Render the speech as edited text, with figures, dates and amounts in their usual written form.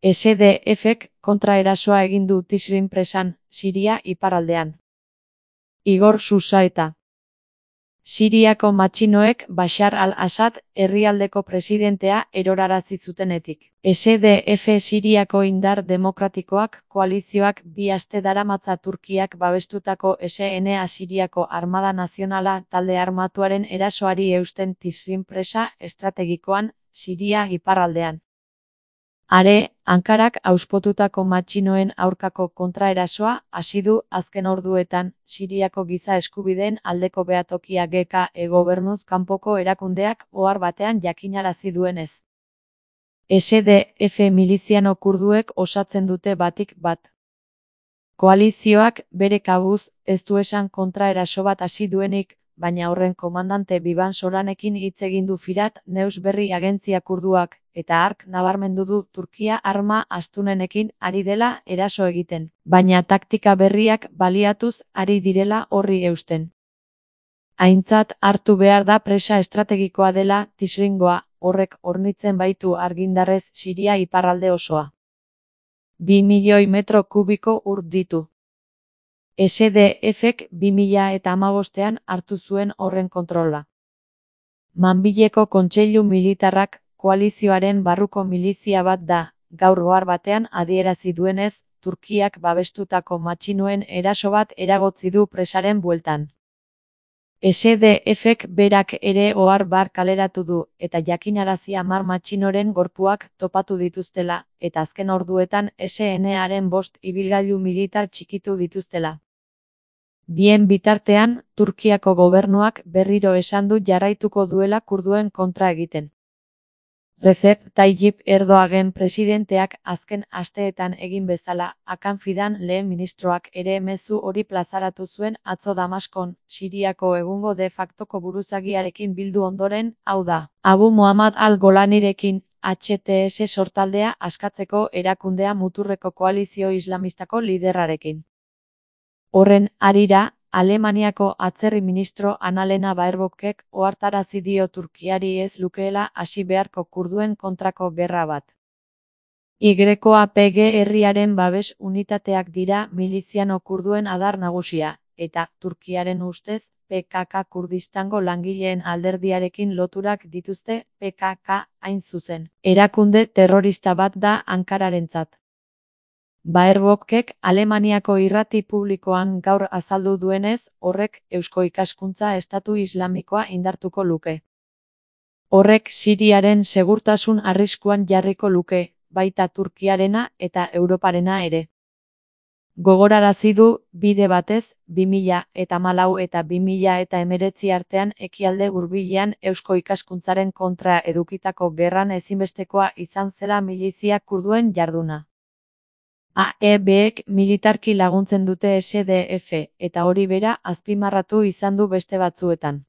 SDF-ek kontraerasoa egin du Tisrin presan, Siria iparraldean. Igor Susaeta. Siriako matxinoek Bashar al-Assad herrialdeko presidentea erorarazi zutenetik. SDF Siriako indar demokratikoak koalizioak 2 aste daramatza Turkiak babestutako SNA Siriako Armada Nazionala talde armatuaren erasoari eusten Tisrin presa estrategikoan, Siria iparraldean. Are, Ankarak auspotutako matxinoen aurkako kontraerasoa hasi du azken orduetan, Siriako giza eskubideen aldeko behatokia GK gobernuz kanpoko erakundeak ohar batean jakinarazi duenez. SDF miliziano kurduek osatzen dute batik bat. Koalizioak bere kabuz ez du esan kontraeraso bat hasi duenik, baina horren komandante Biban Soranekin hitz egin du Firat News berri agentzia kurduak, eta hark nabarmendu du Turkia arma astunenekin ari dela eraso egiten, baina taktika berriak baliatuz ari direla horri eusten. Aintzat hartu behar da presa estrategikoa dela Tisringoa, horrek hornitzen baitu argindarrez Siria iparralde osoa. 2 milioi metro kubiko ur ditu. SDF-ek 2015ean hartu zuen horren kontrola. Manbileko Kontseilu Militarrak koalizioaren barruko milizia bat da, gaur ohar batean adierazi duenez, Turkiak babestutako matxinoen eraso bat eragotzi du presaren bueltan. SDF-ek berak ere ohar bar kaleratu du, eta jakinarazi 10 matxinoren gorpuak topatu dituztela, eta azken orduetan SNA-aren 5 ibilgailu militar txikitu dituztela. Bien bitartean, Turkiako gobernuak berriro esan du jarraituko duela kurduen kontra egiten. Recep Tayyip Erdoğan presidenteak azken asteetan egin bezala, Hakan Fidan lehen ministroak ere mezu hori plazaratu zuen atzo Damaskon, Siriako egungo de factoko buruzagiarekin bildu ondoren, hau da, Abu Muhammad al-Golanirekin, HTS sortaldea askatzeko erakundea muturreko koalizio islamistako liderrarekin. Horren harira, Alemaniako atzerri ministro Annalena Baerbockek ohartarazi dio Turkiari ez lukeela hasi beharko kurduen kontrako gerra bat. YPG herriaren babes unitateak dira miliziano kurduen adar nagusia, eta, Turkiaren ustez, PKK Kurdistango langileen alderdiarekin loturak dituzte, PKK hain zuzen. Erakunde terrorista bat da Ankararentzat. Baerbockek Alemaniako irrati publikoan gaur azaldu duenez, horrek eusko ikaskuntza estatu islamikoa indartuko luke. Horrek Siriaren segurtasun arriskuan jarriko luke, baita Turkiarena eta Europarena ere. Gogorarazi du, bide batez, 2014 eta 2019 artean ekialde hurbilean eusko ikaskuntzaren kontra edukitako gerran ezinbestekoa izan zela milizia kurduen jarduna. AEB-ek militarki laguntzen dute SDF, eta hori bera azpimarratu izan du beste batzuetan.